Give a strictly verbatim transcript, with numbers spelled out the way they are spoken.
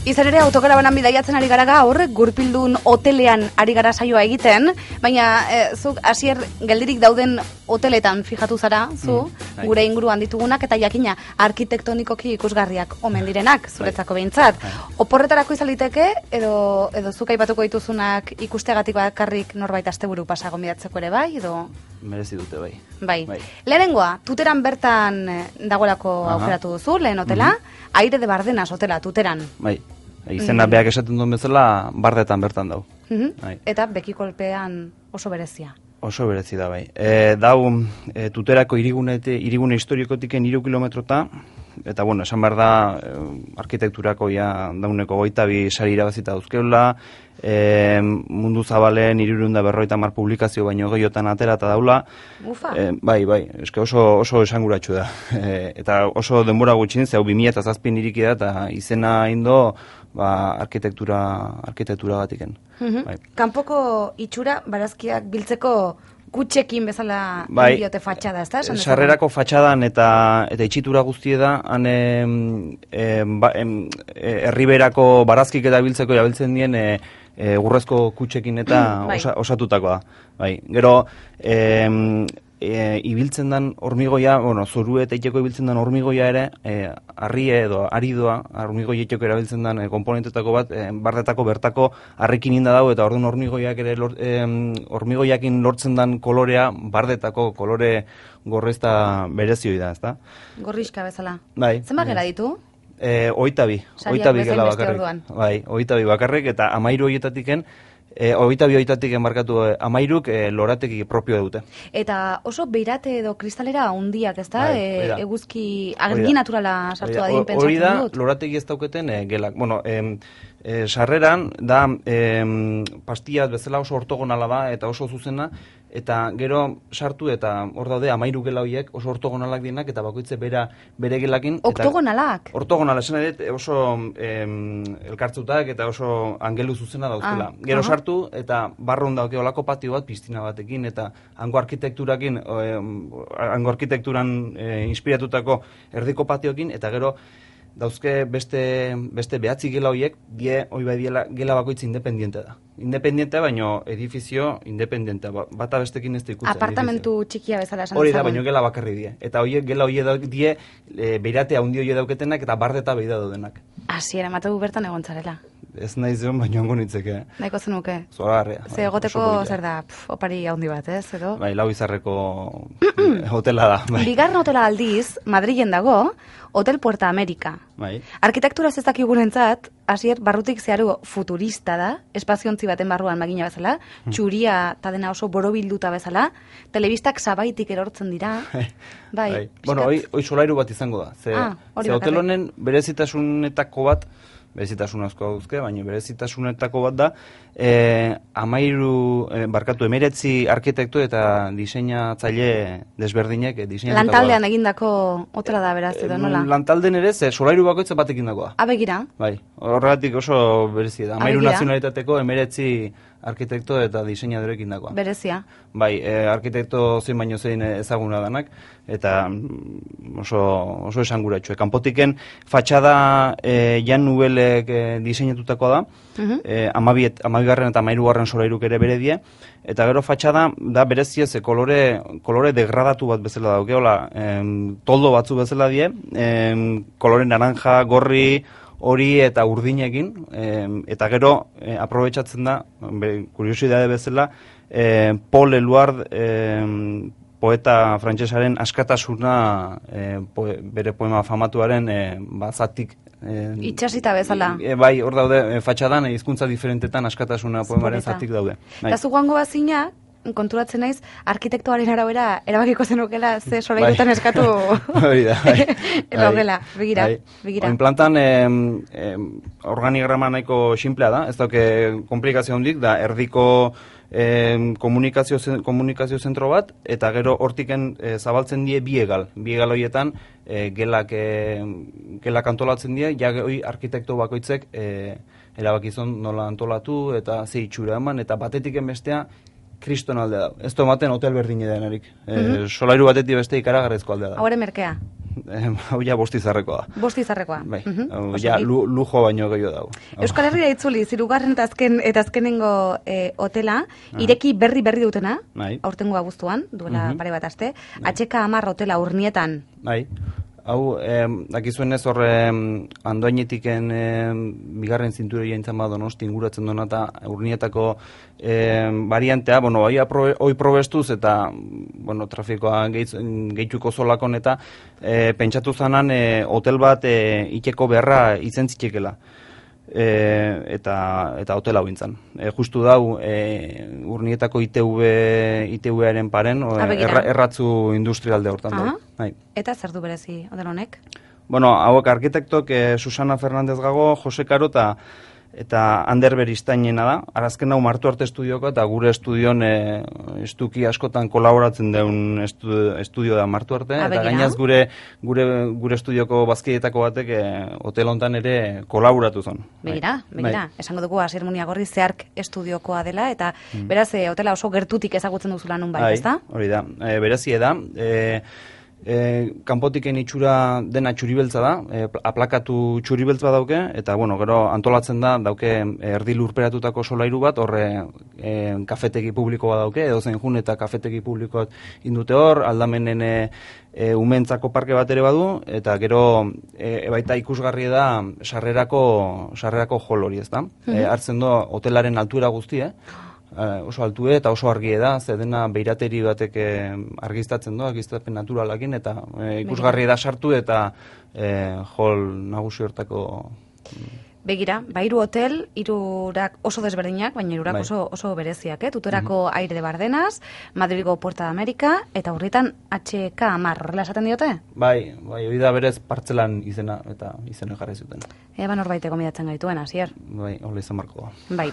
Izan ere, autokarabanan bidaiatzen ari gara gaur, Gurpildun hotelean ari gara saioa egiten, baina e, zuk hasier geldirik dauden hoteletan fijatu zara, zu, mm, gure inguruan ditugunak, eta jakina arkitektonikoki ikusgarriak omen direnak, zuretzako behintzat. Oporretarako izan liteke, edo, edo zuk aipatuko dituzunak ikusteagatik bakarrik norbait asteburu pasa gonbidatzeko ere bai, edo... Merezi dute bai. Bai. bai. Lehenengoa, Tuteran bertan dagoelako aukeratu duzu, lehen hotela, mm-hmm. Aire de Bardenas hotela, Tuteran. Bai. Izena beak esaten duen bezala, bardetan bertan dau. Mm-hmm. Eta bekikolpean oso berezia. Oso berezi da bai. E, dau, e, Tuterako irigune, irigune historikotiken hiru kilometrota, eta bueno, esan behar da, e, arkitekturako ja dauneko goita bi sari irabazita dauzkeula, e, mundu zabalen hirurehun eta berrogeita hamar publikazio baino gehiotan atera eta daula. Ufa. E, bai, bai, eske oso, oso esanguratsu da. E, eta oso denbora gutxin, zeu bi mila zazpin iriki da, eta izena indo, ba, arkitektura, arkitektura gatiken. Mm-hmm. Bai. Kanpoko itxura barazkiak biltzeko kutxekin bezala bai, diote fatxada, ez da? Sarrerako fatxadan eta eta itxitura guztie da, han em, em, ba, em, erriberako barazkik eta biltzeko jabiltzen dien e, e, gurrezko kutxekin eta bai. osa, osatutakoa. Bai. Gero, em, E, ibiltzen dan hormigoia, bueno, zoru eta iteko ibiltzen dan hormigoia ere, e, arrie edo aridoa, hormigoi iteko erabiltzen dan e, komponentetako bat, e, bardetako bertako harrikin inda dago, eta orduan hormigoiak ere, lor, e, hormigoiakin lortzen dan kolorea, bardetako kolore gorrezta berezioi da, ezta? Gorrizka bezala. Bai. Zenbat gera ditu? E, oita bi, oita bi gela bakarrik. Bai, oita bi bakarrik, eta amairu hoietatiken, E, hogeita bi hoitatik enmarkatu e, amairuk e, lorateki propio dute. Eta oso beirate edo kristalera hundiak, ez da? Bai, e, eguzki argi naturala sartu da din pentsatzen hori da, dut. lorateki ez dauketen e, gelak. Bueno, e, e, sarreran da e, pastilla bezala oso ortogonala da eta oso zuzena, eta gero sartu eta hor daude amairu gela horiek oso ortogonalak dienak eta bakoitze bera, bere gelakin. Oktogonalak? Ortogonala, esan edet oso em, elkartzutak eta oso angelu zuzena dauzkela. Ah, gero uh-huh. sartu eta barrun dauke olako patio bat, piztina batekin eta hango arkitekturakin, em, hango arkitekturan e, inspiratutako erdiko patiokin, eta gero dauzke beste, beste behatzi gela horiek, die, hoi bai diela, gela bakoitz independiente da. Independiente, baino edifizio independiente, bata bestekin ez da ikutzen. Apartamentu edifizio. Txikia bezala esan. Hori da, baino gela bakarri die. Eta horiek gela horiek die, e, beirate handi horiek dauketenak eta bardeta beida daudenak. Hasiera, mategu bertan egontzarela. Ez nahi zion, baino hango nitzeke. Nahiko zenuke. Zoragarria. Ze egoteko zer da, pf, opari handi bat, ez, edo? Bai, lau izarreko hotela da. Bai. Bigarren hotela aldiz, Madrilen dago, Hotel Puerta America. Bai. Arkitektura ez dakigurentzat, hasier barrutik zeharu futurista da, espaziontzi baten barruan magina bezala, txuria eta dena oso borobilduta bezala, telebistak sabaitik erortzen dira. Bai. bai. Bueno, hoi, hoi solairu bat izango da. Ze, ah, ze hotel honen berezitasunetako bat, berezitasun asko dauzke, baina berezitasunetako bat da, e, amairu, e, barkatu, emeretzi arkitektu eta diseinatzaile desberdinek e, diseinatutako. Lantaldean egindako hotela da beraz, edo nola? Lantalden ere, ze solairu bakoitza batekin dagoa. Abegira? Bai, horregatik oso berezi da. Amairu nazionalitateko emeretzi arkitekto eta diseinadorekin dagoa. Berezia. Bai, e, arkitekto zein baino zein ezaguna danak, eta oso, oso esanguratxo. Kanpotiken fatxada e, Jan Nubelek e, diseinatutakoa da, uh-huh. e, amabigarren eta amairugarren solairuk ere bere die, eta gero fatxada da berezia ze kolore, kolore degradatu bat bezala dauke, hola, em, toldo batzu bezala die, em, kolore naranja, gorri, hori eta urdinekin, em, eta gero e, aprobetxatzen da, kuriosidade bezala, e, Paul Eluard e, poeta frantsesaren askatasuna e, po, bere poema famatuaren e, bazatik e, itxasita bezala. E, bai, hor daude, e, fatxadan, hizkuntza diferentetan askatasuna poemaren zatik daude. Eta zu joango bazina, konturatzen naiz, arkitektoaren arabera erabakiko zenukela ze solairutan bai. Eskatu hori da, bai. Logela, begira, bai. begira. Oin plantan eh, eh, organigrama nahiko simplea da, ez dauke komplikazio handik, da erdiko eh, komunikazio, komunikazio zentro bat, eta gero hortiken eh, zabaltzen die bi egal. Bi egal horietan eh, gelak, eh, gelak antolatzen die, ja hori arkitekto bakoitzek eh, erabakizon nola antolatu eta ze itxura eman, eta batetiken bestea kriston aldea da. Ez tomaten hotel berdine denarik. Mm-hmm. E, solairu batetik beste ikaragarrezko aldea da. Hore merkea. hau ja bostizarrekoa. Bostizarrekoa. Bai, Mhm, hau oso ja ondo. lu- lujo baino gehiago dago. Euskal Herria itzuli, zirugarren eta azken eta azkenengo eh, hotela, ireki berri berri dutena, Bai. aurtengo abuztuan, duela Mhm. pare bat aste, H K hamar hotela Urnietan. Bai, hau, eh, dakizuenez horre andoainetiken eh, bigarren zinture jaintzan bat Donosti inguratzen dona eta Urnietako eh, variantea, bueno, bai aprobe, hoi probestuz eta bueno, trafikoa gehitz, gehituko zolakon eta eh, pentsatu zanan eh, hotel bat eh, iteko beharra izen zitekela. E, eta eta hotel hau intzan. E, justu dau e, Urnietako I T V I T V-aren paren o, Ah, begira. erra, erratzu industrialde hortan Aha. dau. Bai. Eta zer du berezi hotel honek? Bueno, hauek arkitektok eh, Susana Fernandez Gago, Jose Karo eta eta Ander Beristainena da. Arazken hau Martu Arte Estudioko eta gure estudion e, estuki askotan kolaboratzen deun estu, estudio da Martu Arte. Ah, Eta begira. gainaz gure gure gure estudioko bazkietako batek e, hotel hontan ere kolaboratu zon. Begira, Bai. begira. Esango dugu Asier Muniagorri zehark estudiokoa dela, eta beraz, eh, hotela oso gertutik ezagutzen duzula nun bai, ezta? Hori da, e, berezie da. E, e, kanpotiken itxura dena txuribeltza da, e, aplakatu txuribeltza dauke, eta bueno, gero antolatzen da, dauke erdi lurperatutako solairu bat, horre e, kafetegi publikoa dauke, edo zen jun eta kafetegi publikoa indute hor, aldamenen e, e, umentzako parke bat ere badu, eta gero e, baita ikusgarri da sarrerako, sarrerako hol hori, ez da? E, hartzen do hotelaren altuera guztie, Uh, oso altue eta oso argie da, ze dena beirateri batek eh, argiztatzen du, argiztapen naturalakin, eta eh, ikusgarri da sartu eta eh, hol nagusi hortako. Begira, ba, hiru hotel, hirurak oso desberdinak, baina hirurak Bai. oso, oso bereziak, eh? Tutorako Aire de Bardenas, Madrilgo Puerta de América, eta urritan H K hamar, horrela esaten diote? Bai, bai, hori da berez partzelan izena, eta izena jarri zuten. Eba norbait gomidatzen gaituen, Asier. Bai, hola izan marko da. Bai.